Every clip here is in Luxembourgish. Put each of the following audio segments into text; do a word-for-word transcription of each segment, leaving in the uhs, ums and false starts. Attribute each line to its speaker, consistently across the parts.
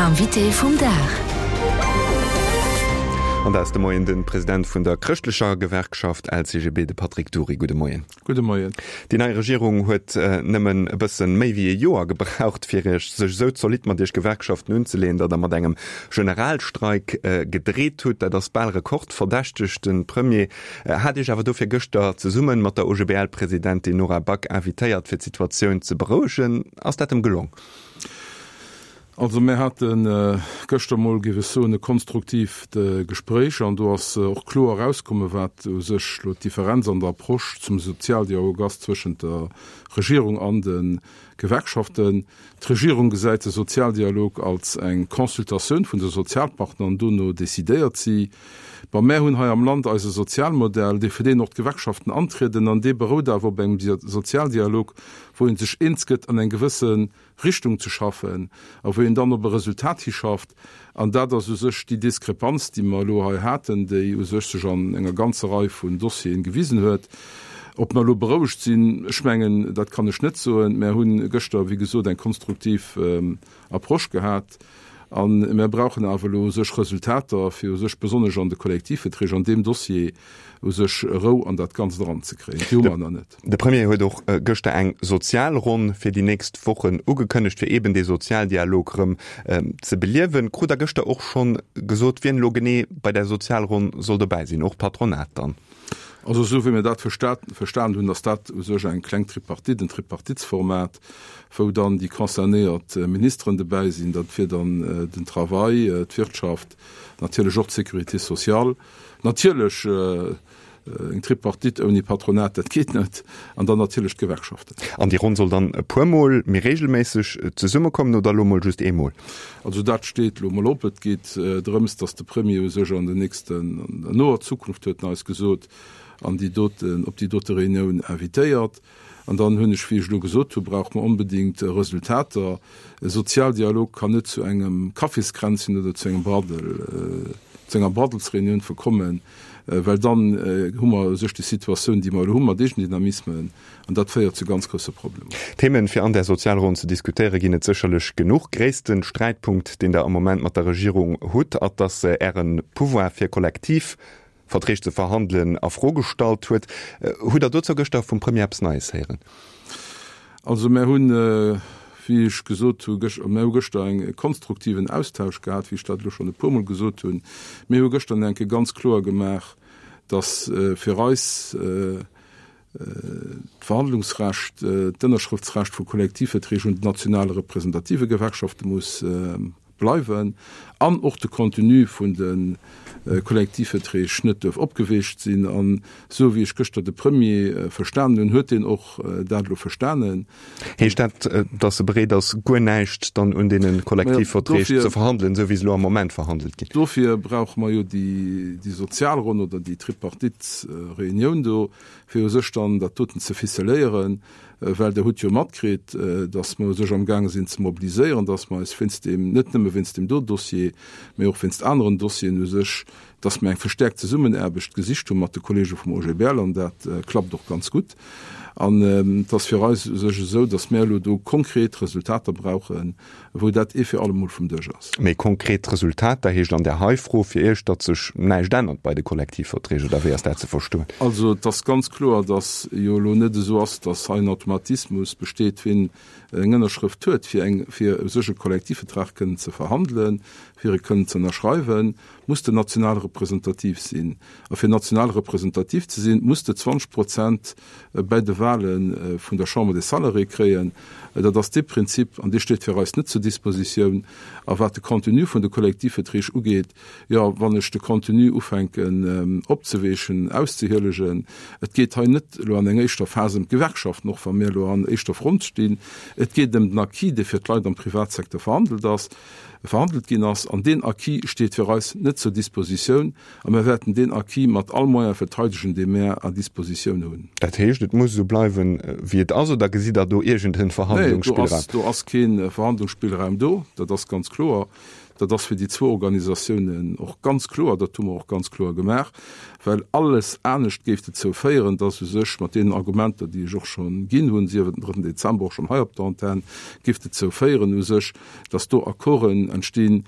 Speaker 1: L'invité vum Dag.
Speaker 2: An dat ass de Moien de President vun der chrëschtlecher Gewerkschaft L C G B, de Patrick Dury. Gudde Moien.
Speaker 3: Gudde Moien.
Speaker 2: Déi nei Regierung huet nëmmen e bëssen méi wéi e Joer gebraucht, fir iech sech esou zolidd mat iech Gewerkschaften unzeleeën, datt der mat engem Generalstreik gedreet hutt. Dat ass bal rekordverdächteg. De Premier hat iech awer dofir gëschter zesumme mat der O G B L-Presidentin Nora Back invitéiert, fir d'Situatioun ze berouegen. Ass dat em gelong?
Speaker 3: Also mir haten äh, gëschter mol, géif ech soen, e konstruktiivt äh, Gespréich an do ass äh, och kloer erauskomm, wat u sech lo d'Differenz an der Approche zum Sozialdialog ass zwëschent der Regierung an de Gewerkschaften. D'Regierung gesäit de Sozialdialog als eng Consultatioun vun de Sozialpartner an dono decidéiert si. Bei mär hunn hei am Land eise Sozialmodell, dee fir deen och d'Gewerkschaften antrieden, an dee berout awer op engem Sozialdialog, wou een sech eens gëtt, an eng gewësse Richtung ze schaffen a wou een dann op e Resultat hischafft. An dat ass u sech déi Diskrepanz, déi mer elo hei haten, déi u sech sech an enger ganzer Rei vun Dossieren gewisen huet. Ob mer elo berouegt sinn, ech mengen, dat kann ech net soen. Mär hunn gëschter, wéi gesot, eng konstruktiv ähm, Approche gehat. An mär brauchen awer elo u sech Resultater, fir u sech besonnesch an de Kollektivverträg, an deem Dossier u sech Rou an dat Ganzt eranzekréien. Déi hu mer nach net.
Speaker 2: De Premier huet och gëschter eng Sozialronn fir déi nächst Wochen ugekënnegt, fir eben dee Sozialdialog rëm ze beliewen. Krut der gëschter och schonn gesot, wien elo genee bei där Sozialronn soll dobäi sinn, och d'Patronat dann?
Speaker 3: Also esou wéi mir dat verstanen hunn, ass dat u sech eng kleng Tripartite, en Tripartitsformat, wou dann déi concernéiert Ministeren dobäi sinn. Dat wier dann den Travail, d'Wirtschaft, natierlech och d'Sécurité sociale. Natierlech eng Tripartite ouni Patronat, dat geet net, an dann natierlech d'Gewerkschaften.
Speaker 2: An déi Ronn soll dann e puermol méi regelméisseg zesummekommen oder elo mol just eemol?
Speaker 3: Also dat steet elo mol op. Et geet drëms, datt de Premier u sech an der nächsten, an der noer Zukunft, huet en eis gesot, an déi doten, op déi dote Reunioun invitéiert. An dann hunn ech, wéi ech elo gesot hu, brauche mer onbedéngt Resultater. E Sozialdialog kann net zu engem Kaffiskränzchen oder zu engem Braddel, zu enger Braddelsreunioun verkommen, well dann hu mer u sech déi Situatioun, déi mer elo hu mat Eegendynamismen, an dat féiert zu ganz grousse Problemer.
Speaker 2: Themen, fir an där Sozialronn ze diskutéiere, ginn et sécherlech genuch. Gréisste Sträitpunkt, deen Der am Moment mat der Regierung hutt, ass, dass se Äre Pouvoir fir Kollektivverträg ze verhandelen a Fro gestallt huet. Hutt Der dozou gëschter vum Premier eppes Neies héieren?
Speaker 3: Also mär hunn, wéi ech gesot hu, mär hu gëschter eng konstruktiven Austausch gehat, wéi ech dat elo schonn e puermol gesot hunn. Mir hu gëschter eng Kéier ganz kloer gemaach, datt fir eis d'Verhandlungsrecht, d'Ënnerschrëftsrecht vu Kollektivverträg un den nationale representative Gewerkschafte muss bleiwen an och de Contenu vun de Kollektivverträg net duerf opgeweecht sinn. An esou wéi ech gëschter de Premier verstanen hunn, huet deen och dat elo verstanen.
Speaker 2: Heescht dat, datt e bereet ass, guer näischt dann un deene Kollektivverträg ze verhandelen, esou wéi se elo am Moment verhandelt ginn?
Speaker 3: Dofir brauche mer jo déi Sozialronn oder déi Tripartite-Reunioun do, fir u sech dann dat doten ze ficeléieren, well Der hutt jo matkritt, datt mer u sech amgaange sinn ze mobiliséieren, datt mer eis wéinst deem, net nëmme wéinst deem do Dossier, mee och wéinst aneren Dossieren u sech, datt mer eng verstäerkt Zesummenaarbecht gesicht hu mat de Kollege vum O G B L an dat klappt och ganz gutt. An et ass fir eis u sech esou, datt mir elo do konkret Resultater brauchen, wou dat ee fir allemol vum Dësch ass.
Speaker 2: Méi konkret Resultater heescht an där hei Fro fir Iech, datt sech näischt ännert bei de Kollektivverträg, oder wéi ass dat ze verstoen?
Speaker 3: Also et ass ganz kloer, datt jo elo net esou ass, datt hei en Automatismus besteet, wien eng Ënnerschrëft huet, fir eng, fir u sech e Kollektivvertrag kënnen ze verhandelen, fir e kënnen ze ënnerschreiwen, muss de national representativ sinn. A fir national representativ ze sinn, muss de zwanzeg Prozent bei de Wahle vun der Chambre des Salariés kréien. Dat ass dee Prinzip, an dee steet fir eis net zur Dispositioun. A wat de Contenu vun de Kollektivverträg ugeet, jo, wann ech de Contenu ufänken opzeweechen, auszehielegen, et geet hei net elo an enger éischter Phas ëm d'Gewerkschaften, och wa mir elo an éischter Front stinn, et geet ëm den Acquis, dee fir d'Leit am Privatsecteur verhandelt ass, verhandelt ginn ass. An deen Acquis steet fir eis net zur Dispositioun a mir wäerten deen Acquis mat all Moyen verteidegen, dee mir à Dispositioun hunn.
Speaker 2: Dat heescht, et muss esou bleiwen, wéi et ass, oder gesitt Der do iergend en
Speaker 3: Nee, do
Speaker 2: Verhandlungsspillraum?
Speaker 3: ass, do ass kee Verhandlungsspillraum do, dat ass ganz kloer. Dat ass fir déi zwou Organisatiounen och ganz kloer, dat hu mer och ganz kloer gemaach, well alles anescht géif dozou féieren, dass u sech mat deenen Argumenter, déi ech och scho ginn hunn, sief et den drëtten Dezember och schonn hei op der Antenn, géif dozou féieren u sech, dass do Accorden entstinn,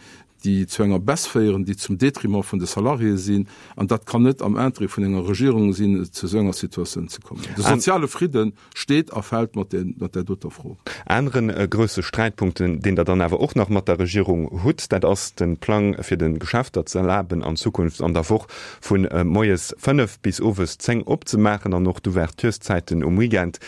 Speaker 3: déi zu enger Baisse féieren, déi zum Détriment vun de Salariéë sinn. An dat kann net am Interêt vun enger Regierung sinn, zu esou enger Situatioun ze kommen. De soziale Fridde steet a fält mat där doter Fro.
Speaker 2: Anere grousse Sträitpunkt, deen Der dann awer och nach mat der Regierung hutt, dat ass de Plang, fir de Geschäfter ze erlaben, an Zukunft an der Woch vu moies fënnef bis owes zéng opzemaachen an och d'Ouvertureszäiten um Weekend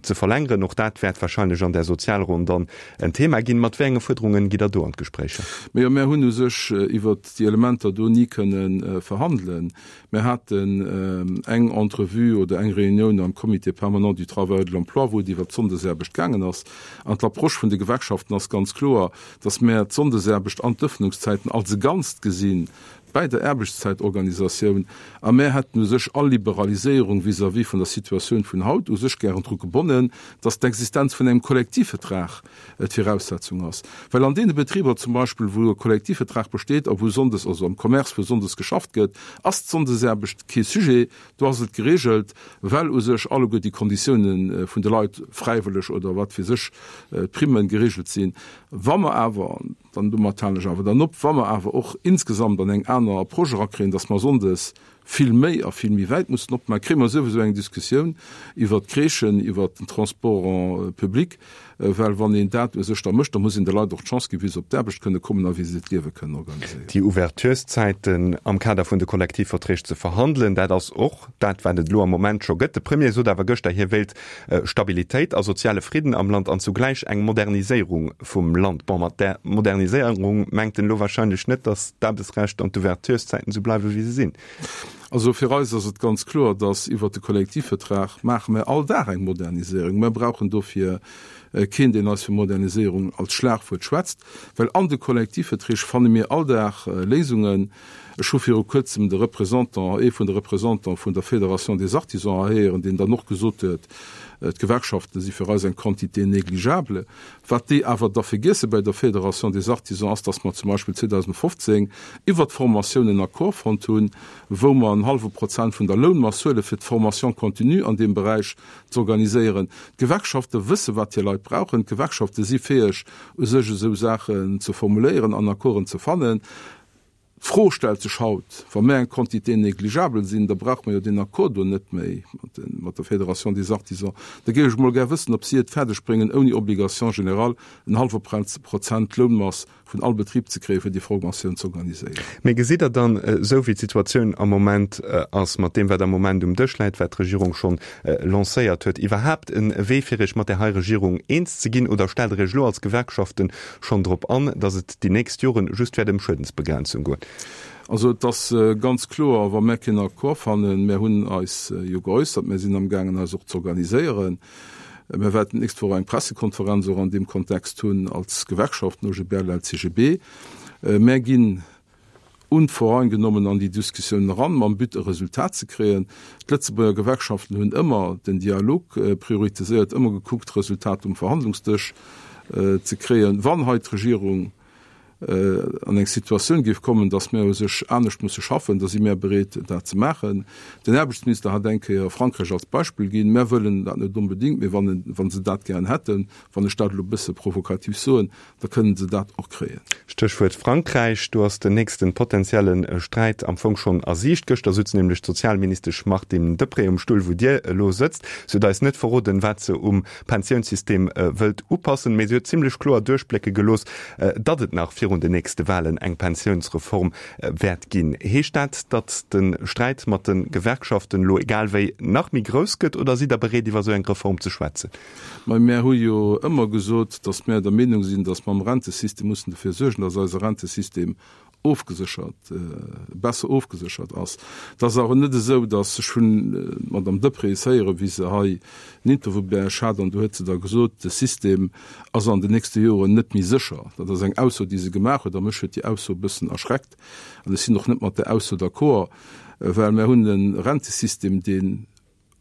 Speaker 2: ze verlängeren. Och dat wäert wahrscheinlech an där Sozialronn dann en Thema ginn. Mat wéi enge Fuerderungen gitt Der do an d'Gespréicher?
Speaker 3: Majo, mär hunn u sech iwwert déi Elementer do ni kënne verhandelen. Mär haten eng Entrevue oder eng Reunioun am Comité permanent du travail et de l'emploi, wou et iwwert d'Sonndesaarbecht gaangen ass. An d'Approche vun de Gewerkschaften ass ganz kloer, datt mär d'Sonndesaarbecht an d'Ëffnungszäiten als e Ganzt gesinn bäi der Aarbechtszäitorganisatioun. A mär hätten u sech all Liberaliséierung vis-à-vis vun der Situatioun vun haut u sech gären dru gebonnen, datt d'Existenz vun engem Kollektivvertrag d'Viraussetzung ass. Well an deene Betriber zum Beispill, wou e Kollektivvertrag besteet a wou sonndes, also am Commerce, wou sonndes geschafft gëtt, ass d'Sonndesaarbecht kee Sujet. Do ass et geregelt, well u sech alleguer déi Konditiounen vun de Leit, fräiwëlleg oder wat weess ech, d'Primmen, geregelt sinn. Wa mer awer, dann domat halen ech awer dann op, wa mer awer och insgesamt an eng aner Approche erakréien, dass mer sonndes vill méi a vill méi wäit mussen opmaachen, kréie mer souwisou eng Diskussioun iwwert d'Crèchen, iwwert den Transport en public, well wann een dat u sech da mécht, da muss een de Leit och d'Chance ginn, wéi se op d'Aarbecht kënne kommen a wéi se hiert Liewe kënnen organiséieren.
Speaker 2: Déi Ouvertureszäiten am Kader vun de Kollektivverträg ze verhandelen, dat ass och dat, wat et elo am Moment scho gëtt. De Premier sot awer gëschter, hie wéilt Stabilitéit a soziale Fridden am Land an zugläich eng Moderniséierung vum Land. Bon, mat där Moderniséierung mengt en elo wahrscheinlech net, datt d'Aarbechtsrecht an d'Ouvertureszäiten esou bleiwe wéi se sinn.
Speaker 3: Also fir eis ass et ganz kloer, datt iwwert de Kollektivvertrag maache mer all Dag eng Moderniséierung. Mer brauchen dofir keen, deen eis vu Moderniséierung als Schlagwuert schwätzt, well an de Kollektivverträg fanne mir all Dag Léisungen. Ech hu viru Kuerzem de Représentant, ee vun de Représentants vun der Fédération des Artisans héieren, deen dann och gesot huet, D'Gewerkschafte si fir eis eng Quantité négligeable. Wat déi awer da vergiesse bei der Fédération des Artisans ass, datt mer zum Beispill zweedausendfofzéng iwwert d'Formatioun en Accord fonnt hunn, wou mer en hallwe Prozent vun der Lounmass huele fir d'Formation continue an deem Beräich z'organiséieren. D'Gewerkschafte wësse wat hir Leit brauchen. D'Gewerkschafte si fäeg u sech esou Saachen ze formuléieren an Accorden ze fannen. D'Fro stellt sech haut, wa mir eng Quantité négligeable sinn, da brauche mer jo deen Accord do net méi mat der Fédération des Artisans. Da géif ech emol gär wëssen, ob si et fäerdeg bréngen, ouni Obligation générale en hallwe Prozent Lounmass vun all Betrib ze kréien, fir déi Formatioun z'organiséieren.
Speaker 2: Mee gesitt Der dann, esou wéi d'Situatioun am Moment ass, mat deem wat am Moment um Dësch läit, wat d'Regierung schonn lancéiert huet, iwwerhaapt e Wee fir Iech mat där hei Regierung eens ze ginn? Oder stellt Der Iech elo als Gewerkschaften schonn drop an, datt et déi nächst Joren just wäert ëm Schuedensbegrenzung goen?
Speaker 3: Also et ass ganz kloer, wa mär keen Accord fannen, mär hunn eis jo geäussert, mär sinn amgaangen eis och z'organiséieren, mär wäerten d'nächst Woch eng Pressekonferenz och an deem Kontext hunn als Gewerkschaften O G B L, L C G B, mär ginn unvoreingenommen an déi Diskussioun eran, mam But e Resultat ze kréien. D'Lëtzebuerger Gewerkschaften hunn ëmmer den Dialog prioritiséiert, ëmmer gekuckt, Resultat um Verhandlungsdësch ze kréien. Wann hei d'Regierung an eng Situatioun géif kommen, datt mir u sech anescht musse schaffen, da si mir bereet, dat ze maachen. Den Aarbechtsminister hat eng Kéier Frankräich als Beispill ginn. Mir wëllen dat net onbedéngt, mee wann se dat gären hätten, wann ech dat elo e bësse provokativ soen, da kënnen se dat och kréien.
Speaker 2: Stéchwuert Frankräich, do ass den nächste potenzielle Sträit am Fong schonn a Siicht. Gëschter sutz nämlech d'Sozialministesch Martine Deprez um Stull, wou Dir elo sëtzt. Si huet eis net verroden, wat se um Pensiounssystem wëllt upassen, mee si huet zimlech kloer duerchblécke gelooss, datt et nach virun den nächste Walen eng Pensiounsreform wäert ginn. Heescht dat, datt de Sträit mat de Gewerkschaften elo egal wéi nach méi grouss gëtt oder sidd Der bereet iwwer esou eng Reform ze schwätzen?
Speaker 3: Mä mär hu jo ëmmer gesot, datt mär der Meenung sinn, datt mer am Rentesystem mussen dofir suergen, datt eise Rentesystem ofgeséchert, besser ofgeséchert ass. Et ass awer net esou, datt, ech hunn d'Madame Deprez héieren, wéi se hei en Interview bei eis hat, an do huet se da gesot, de System ass an den nächste Joren net méi sécher. Dat ass eng Ausso, déi se gemaach huet, a mech huet déi Ausso e bëssen erschreckt. An ech sinn och net mat där Ausso d'accord, well mär hunn e Rentesystem, dee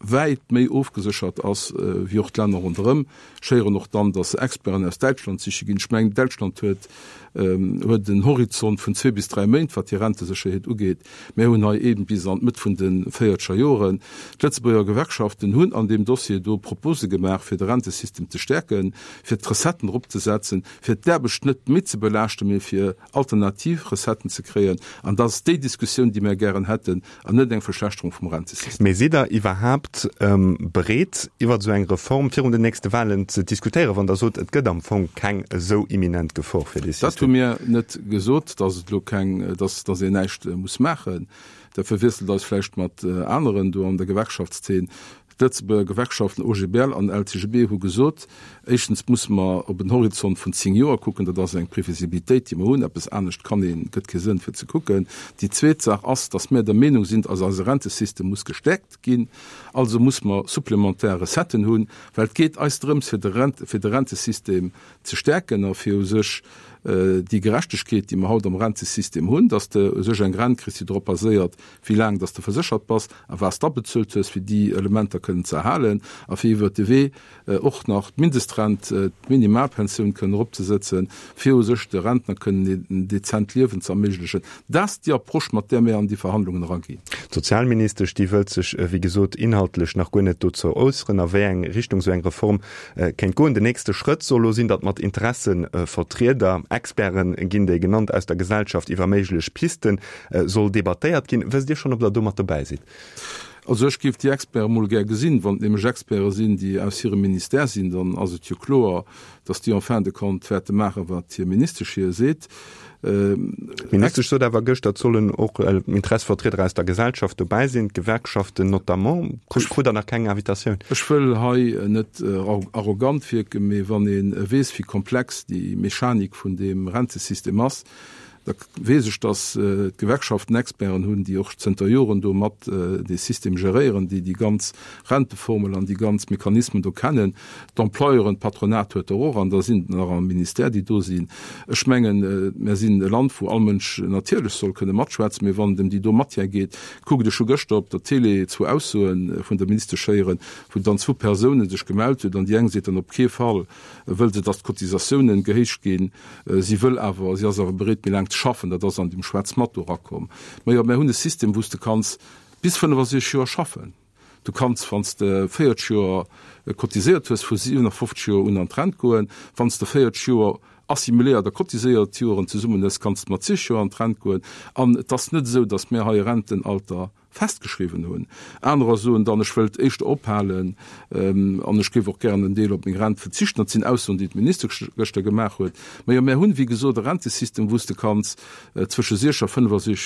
Speaker 3: wäit méi ofgeséchert ass wéi och d'Länner ronderëm. Ech héieren och dann, dass se Experten aus Däitschland siche ginn. Ech mengen, Däitschland huet huet en Horizont vun zwee bis dräi Méint, wat déi Rentesécherheet ugeet. Mir hunn hei ee bis an d'Mëtt vun de véierzeger Joren. D'Lëtzebuerger Gewerkschaften hunn an deem Dossier do Propose gemaach, fir de Rentesystem ze stäerken, fir d'Recetten eropzesetzen, fir d'Aarbecht net méi ze belaaschten, mee fir alternativ Recetten ze kréien. An dat ass déi Diskussioun, déi mir gären hätten, an net eng Verschlechterung vum Rentesystem.
Speaker 2: Mee sidd Der iwwerhaapt bereet, iwwert esou eng Reform virun den nächste Wahlen ze diskutéieren, wann Der sot, et gëtt am Fong keng esou imminent Gefor fir dee System?
Speaker 3: Dat hu mir net gesot, dass et elo keng, dass, dass een näischt muss maachen. Der verwiesselt eis vläicht mat aneren do an der Gewerkschaftszeen. D'Lëtzebuerger Gewerkschaften O G B L an L C G B hu gesot, éischtens musse mer op en Horizont vun zéng Joer kucken, dat ass eng Previsibilitéit, déi mer hunn, eppes anescht kann een, gëtt kee Sënn fir ze kucken. Déi zweet Saach ass, datt mir der Meenung sinn, datt eise Rentesystem muss gestäerkt ginn, also muss mer supplementär Recetten hunn, well et geet eis drëms fir de Rent, fir de Rentesystem ze stäerken a fir u sech déi Gerechtegkeet, déi mer haut am Rentesystem hunn, dass de u sech eng Rent kriss, déi drop baséiert, wéi laang dass de verséchert bass a wat s de abezuelt hues, fir déi Elementer kënnen ze erhalen a fir iwwert de Wee och nach d'Mindestrent, d'Minimalpensioun kënnen eropzesetzen, fir u sech de Rentner kënnen en dezent Liewen ze erméiglechen. Dat ass déi Approche, mat där mir an déi Verhandlungen eraginn.
Speaker 2: D'Sozialministesch, déi wëllt sech, wéi gesot, inhaltlech nach guer net dozou äusseren, a wéi eng Richtung esou eng Reform kéint goen. Den nächste Schrëtt soll elo sinn, datt mat Interessevertrieder, Experten ginn déi genannt, aus der Gesellschaft iwwer méiglech Pisten soll debattéiert ginn. Wësst Dir schonn, ob Der do mat dobäi sidd?
Speaker 3: Also ech géif déi Experte mol gär gesinn. Wann et nämlech Experte sinn, déi aus hirem Ministère sinn, dann ass et jo kloer, datt déi en fin de compte wäerte maachen, wat hir Ministesch hir seet.
Speaker 2: D'Ministesch sot awer gëschter, et sollen och Interessevertrieder aus der Gesellschaft dobäi sinn, d'Gewerkschaften notamment. Krut Der nach keng Invitatioun?
Speaker 3: Ech wëll hei net arrogant wierken, mee wann ee weess, wéi komplex déi Mechanik vun deem Rentesystem ass, da weess ech, datt d'Gewerkschaften Experten hunn, déi och zënter Joren do mat dee System geréieren, déi déi ganz Renteformel an déi ganz Mechanismen do kennen. D'Employeuren, d'Patronat huet der och an da sinn der nach am Ministère, déi do sinn. Ech mengen, mir sinn e Land, wou all Mënsch natierlech soll kënne matschwätzen, mee wann et ëm déi do Matière geet, kuckt, ech hu gëschter op der Télé zwou Aussoe vun der Ministesch héieren, wou dann zwou Persounen sech gemellt hunn an déi eng seet dann, op kee Fall wëll se, datt d'Cotisatiounen gehéicht ginn, si wëll awer, si ass awer bereet, méi laang ze schaffen. Dat ass an dem Schwätz mat do erakomm. Majo, mir hunn e System, wou s de kanns bis fënnefasechzeg Joer schaffen. Du kanns, wann s de véierzeg Joer cotiséiert hues, vu siwenafofzeg Joer un an d'Rent goen. Wann s de véierzeg Joer assimiléiert a cotiséiert Joren zesummen hues, kanns de mat zig Joer an d'Rent goen. An et ass net esou, datt mir hei e Rentenalter festgeschriwwen hunn. Anerer soen dann, ech wëllt éischter ophalen an ech géif och gären en Deel op meng Rent verzichten. Dat sinn Aussoen, déi d'Ministesch gëschter gemaach huet. Majo, mär hunn, wéi gesot, e Rentesystem, wou s de kanns zwësche siech a fënnefasech,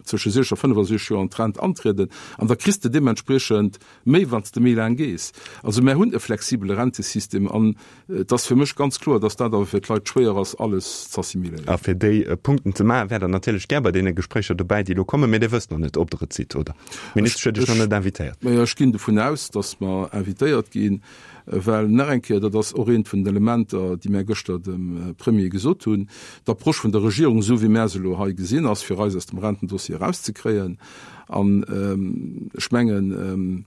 Speaker 3: zwësche siech a fënnefasech Joer an d'Rent antrieden an da kriss de deementspriechend méi, wann s de méi laang gees. Also mär hunn e flexibele Rentesystem an et ass fir mech ganz kloer, dass dat awer fir d'Leit schwéier ass, alles z'assimiléieren.
Speaker 2: A fir déi Punkten ze maachen, wäert Der natierlech gär bei deene Gespréicher dobäi, déi elo kommen. Mee Dir wësst nach net, ob Der et sidd, oder? D'Ministesch huet Iech nach net invitéiert.
Speaker 3: Majo, ech ginn dovun aus, dass mer invitéiert ginn, well nach eng Kéier, dat ass och eent vun den Elementer, déi mär gëschter dem Premier gesot hunn, d'Approche vun der Regierung, esou wéi mär se elo hei gesinn, ass fir eis aus dem Rentendossier erauszekréien. An ech mengen,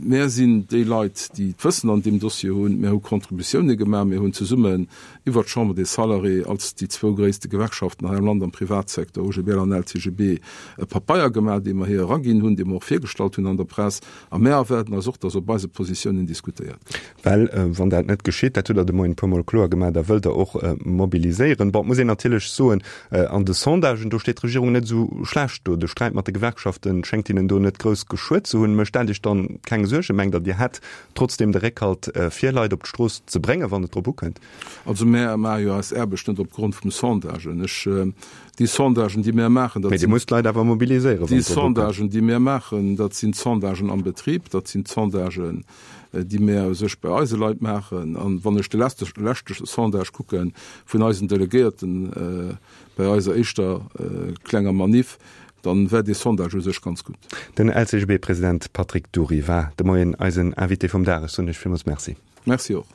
Speaker 3: Mär sinn déi Leit, déi d'Wëssen an deem Dossier hunn. Mär hu Contributioune gemaach. Mir hunn zesummen iwwert d'Chambre des Salariés als déi zwou gréisste Gewerkschaften hei am Land am Privatsecteur, O G B L an L C G B, e Papeier gemaach, dee mer hir eraginn hunn, dee mer och virgestallt hunn an der Press. A mär erwaarden eis och, dass op eise Positiounen diskutéiert gëtt.
Speaker 2: Well wann dat net geschitt, dat hutt Der de Moien e puermol kloer gemaach, da wëllt Der och mobiliséieren. Bon, et muss een natierlech soen, an de Sondagen, do steet d'Regierung net esou schlecht do. De Sträit mat de Gewerkschafte schéngt hinnen do net grouss geschuet ze hunn. Mécht dat Iech dann keng Suergen? Mengt Der, Dir hätt trotzdeem de Réckhalt, fir Leit op d'Strooss ze bréngen, wann et drop ukënnt?
Speaker 3: Also mär maache jo eis Aarbecht net opgrond vum Sondagen. Ech, déi Sondagen, déi mär maachen, dat
Speaker 2: Mee Dir
Speaker 3: sinn.
Speaker 2: musst d'Leit awer mobiliséieren, wann
Speaker 3: Déi
Speaker 2: et drop ukënnt.
Speaker 3: Sondagen, déi mär maachen, dat sinn d'Sondagen am Betrib, dat sinn d'Sondagen, déi mär u sech bei eise Leit maachen. An wann ech de leschte Sondage kucke vun eisen Delegéierten bei eiser éischter klenger Manif, dann war dee Sondage u sech ganz gutt.
Speaker 2: Den L C G B-President Patrick Dury war de Moien eisen Invité vum Dag. Ech soen Iech villmools Merci.
Speaker 3: Merci och.